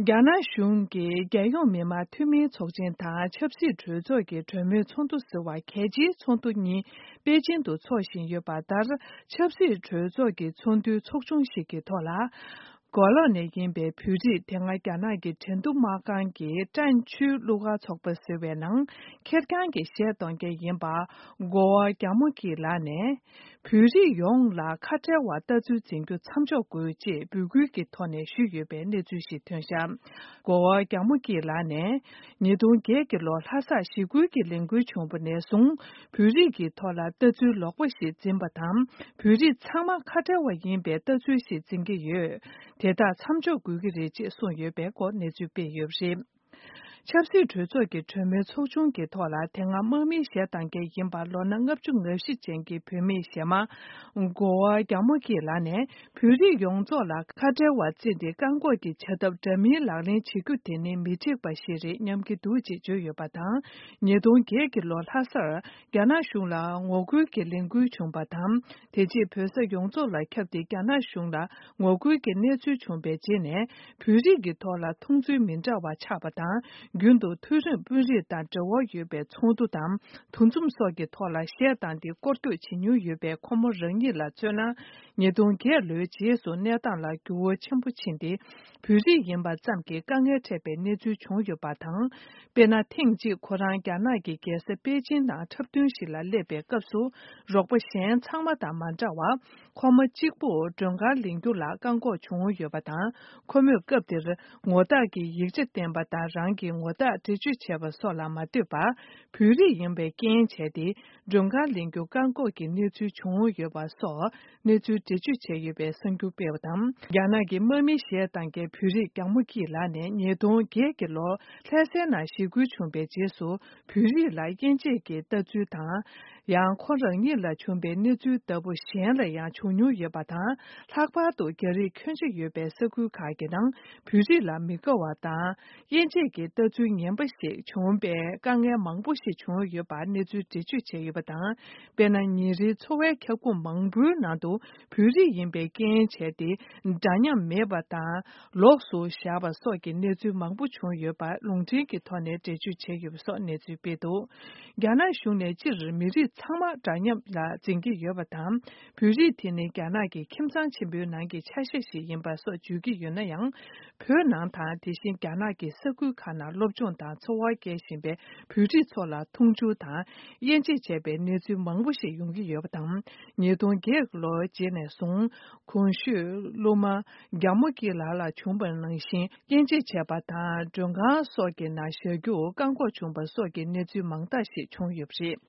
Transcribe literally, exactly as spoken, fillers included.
རྒྱ་ནག་གཞུང་གིས་རྒྱལ་ཡོངས་མི་དམངས་འཐུས་མིའི་ཚོགས་ཆེན་དང་ཆབ་སྲིད་གྲོས་ཚོགས་ཀྱི་གྲོས་མོལ་ཚོགས་འདུ་ཟེར་བ་གལ་ཆེའི་ཚོགས་འདུ་གཉིས་པེ་ཅིང་དུ་འཚོགས་བཞིན་ཡོད་པ་ལྟར། ཆབ་སྲིད་གྲོས་ཚོགས་ཀྱི་ཚོགས་འདུའི་ཚོགས་ཆུང་ཞིག་གི་ཐོག་ལ། མགོ་ལོག་ནས་ཡིན་པའི་བོད་རིགས་དེ་སྔ་རྒྱ་ནག་གི་ཁྲེང་ཏུའུ་དམག་ཁང་གི་ཀྲན་ཆུའི་གླུ་གར་ཚོགས་པ་ཟེར་བའི་ནང་ཁེར་རྐྱང་གི་གཞས་གཏོང་མཁན་ཡིན་པ། གོ་བ་རྒྱ་མོ་སྐྱིད་ལགས་ནས། བོད་རིགས་ཡོངས་ལ་ཁ་བྲལ་བ་ལྟ་ཚུལ་འཛིན་རྒྱུ་མཚམས་འཇོག་དགོས་ཅེས་འབོད་སྐུལ་གྱི་ཐོག་ནས་ཞུས་ཡོད་པའི་གནས་ཚུལ་ཞིག་ཐོན་བཞག་གོ་བ་རྒྱ་མོ་སྐྱིད་ལགས་ནས། ཉིས་སྟོང་བརྒྱད་ཀྱི་ལོ་ལྷ་སར་ཞི་རྒོལ་གྱི་ལས་འགུལ་བྱུང་བ་ནས་བཟུང་། བོད་རིགས་ཀྱི་ཐོག་ལ་ལྟ་ཚུལ་ལོག་པ་ཞིག་འཛིན་པ་དང་། བོད་རིགས་ཚང་མ་ཁ་བྲལ་བ་ཡིན་པའི་ལྟ་ཚུལ་ཞིག་འཛིན་གྱི་ཡོད། དེ་དག་མཚམས་འཇོག་དགོས་ཀྱི་རེད་ཅེས་གསུངས་ཡོད་པའི་སྐོར་གནས་ཚུལ་སྤེལ་ཡོད་པ་རེད། ཆབ་སྲིད་གྲོས་ཚོགས་ཀྱི་གྲོས་མོལ་ཚོགས་ཆུང་གི་ཐོག་ལ། དེ་སྔ་དམག་མིའི་གཞས་གཏོང་མཁན་ཡིན་པ་ལོ་ན་ལྔ་བཅུ་ང་བཞི་ཅན་གྱི་བུད་མེད་གཞས་མ་གོ་བ་རྒྱ་མོ་སྐྱིད་ལགས་ནས། བོད་རིགས་ཡོངས་རྫོགས་ལ་ཁ་བྲལ་བ་བརྩིས་ཏེ། བཀག་འགོག་གི་བྱ་ཐབས་འདྲ་མིན་ལག་ལེན་བྱེད་རྒྱུ་དེ་ནི་མི་འགྲིག་པ་ཞིག་རེད་སྙམ་གྱི་འདུག་ཅེས་བརྗོད་ཡོད་པ་དང་། ཉིས་སྟོང་བརྒྱད་ཀྱི་ལོ་ལྷ་སར་རྒྱ་ནག་གཞུང་ལ་ངོ་རྒོལ་གྱི་ལས་འགུལ་བྱུང་བ་དང་། དེ་རྗེས་བོད་ས་ཡོངས་རྫོགས་ལ་ཁྱབ་སྟེ། རྒྱ་ནག་གཞུང་ལ་ངོ་རྒོལ་གྱི་གནས་ཚུལ་བྱུང་བའི་རྗེས་ནས། བོད་རིགས་ཀྱི་ཐོག་ལ་མཐོང་ཚུལ་མི་འདྲ་བ་ཆགས་པ་དང་། རྒྱུན་དུ་མཐོ་རིམ་དཔོན་རིགས་དང་འབྲེལ་བ་ཡོད་པའི་ཚོགས་འདུ་དང་། འདུ་འཛོམས་སོགས་ཀྱི་ཐོག་ལ་གཞས་བཏང་སྟེ་སྐོར་སྐྱོད་བྱེད་མྱོང་ཡོད་པའི་ཁོ་མོ་རང་ཉིད་ལ་མཚོན་ན། ཉིས་སྟོང་བརྒྱད་ལོའི་རྗེས་སུ་གནས་སྟངས་ལ་འགྱུར་བ་ཆེན་པོ་ཕྱིན་ཏེ། བོད་རིགས་ཡིན་པ་ཙམ་གྱིས་དཀའ་ངལ་འཕྲད་པའི་གནས་ཚུལ་བྱུང་ཡོད་པ་དང་། དཔེར་ན། ཐེངས་གཅིག་ཁོ་རང་རྒྱ་ནག་གི་རྒྱལ་ས་པེ་ཅིན་ནང་འཁྲབ་སྟོན་ཞིག་ལ་སླེབས་པའི་སྐབས་སུ། རོགས་པ་གཞན་ཚང་མ་དང་མ་འདྲ་བར། ཁོ་མོ་གཅིག་པུ་མགྲོན་ཁང་ལེན་རྒྱུ་ལ་བཀག་འགོག་བྱུང་ཡོད་པ་དང་། ཁོ་མོས་སྐབས་དེར་ངོ་རྟགས་ཀྱི་ཡིག་ཆ་བསྟན་པ་དང་། རང་གི་ངོ་རྟགས་འགྲེལ་བརྗོད་བྱས་པ་སོགས་ལ་མ་ལྟོས་པར། བོད་རིགས་ཡིན་པའི་རྐྱེན་བྱས་ཏེ། མགྲོན་ཁང་ལེན་རྒྱུ་བཀག་འགོག་གི་གནས་ཚུལ་བྱུང་ཡོད་པ་སོགས། གནས་ཚུལ་འགྲེལ་བརྗོད་བྱས་ཡོད་པའི་གསར་འགྱུར་སྤེལ་བ་དང་། རྒྱ་ནག་གི་དམག་མིའི་གཞས་བཏང་མཁན་བོད་རིགས་རྒྱ་མོ་སྐྱིད་ལགས་ནས། ཉིས་སྟོང་བརྒྱད་ཀྱི་ལོ་ལྷ་སའི་ནང་ཞི་རྒོལ་བྱུང་བའི་རྗེས་སུ། བོད་རིགས་ལ་དབྱེ་འབྱེད་ཀྱི་ལྟ་ཚུལ་དང་། ཡང་ཁོ་རང་ཉིད་ལ་བྱུང་བའི་གནས་ཚུལ་ལྟ་བུ་གཞན་ལ་ཡང་བྱུང་མྱོང་ཡོད་པ་དང་། ལྷག་པར་དུ་རྒྱ་རིགས་ཁྱོན་ཆེ་ཡོད་པའི་ས་ཁུལ་ཁག་གི་ནང་བོད་རིགས་ལ་མི་དགའ་བ་དང་། དབྱེ་འབྱེད་ཀྱི་ལྟ་ཚུལ་ངན་པ་ཞིག་བྱུང་བའི་དཀའ་ངལ་མང་པོ་ཞིག་བྱུང་ཡོད་པར་གནས་ཚུལ་འགྲེལ་བརྗོད་བྱས་ཡོད་པ་དང་། དཔེར་ན། ཉིན་རེའི་འཚོ་བའི་ཁྱབ་ཁོངས་མང་པོའི་ནང་དུ་བོད་རིགས་ཡིན་པའི་རྐྱེན་བྱས་ཏེ། འདྲ་མཉམ་མེད་པ་དང་། ལོགས་སུ་བཞག་པ་སོགས་ཀྱི་གནས་ཚུལ་མང་པོ་བྱུང་ཡོད་པ་ལུང་འདྲེན་གྱི་ཐོག་ནས་འགྲེལ་བརྗོད་བྱས་ཡོད་པ་སོགས་གནས་ཚུལ་སྤེལ་འདུག་རྒྱ་ནག་གཞུང་ནས་སྤྱིར་མི་རིགས་ཚང་མ་འདྲ་མཉམ་ལ་འཛིན་གྱི་ཡོད་པ་དང་། བོད་རིགས་དེ་ནི་རྒྱ་ནག་གི་ཁྱིམ་ཚང་ཆེན་པོའི་ནང་གི་ཆ་ཤས་ཤིག་ཡིན་པ་སོགས་བརྗོད་ཀྱི་ཡོད་ན་ཡང་། བོད་ནང་དང་། དེ་བཞིན་རྒྱ་ནག་གི་ས་ཁུལ་ཁག་ནང་སློབ་སྦྱོང་དང་འཚོ་བ་སྐྱེལ་བཞིན་པའི་བོད་རིགས་ཚོ་ལ་མཐོང་ཆུང་དང་དབྱེ་འབྱེད་བྱས་པའི་གནས་ཚུལ་མང་པོ་ཞིག་ཡོང་གི་ཡོད་པ་དང་། ཉིས་སྟོང་བརྒྱད་ལོའི་རྗེས་ནས་བཟུང་། གོང་ཞུས་སློབ་མ་རྒྱ་མོ་སྐྱིད་ལགས་ལ་བྱུང་བ་ནང་བཞིན། དབྱེ་འབྱེད་བྱས་པ་དང་། མགྲོན་ཁང་སོགས་ཀྱི་ནང་བཞག་རྒྱུ་བཀག་འགོག་བྱུང་བ་སོགས་ཀྱི་གནས་ཚུལ་མང་དག་ཞིག་བྱུང་ཡོད་པ་རེད།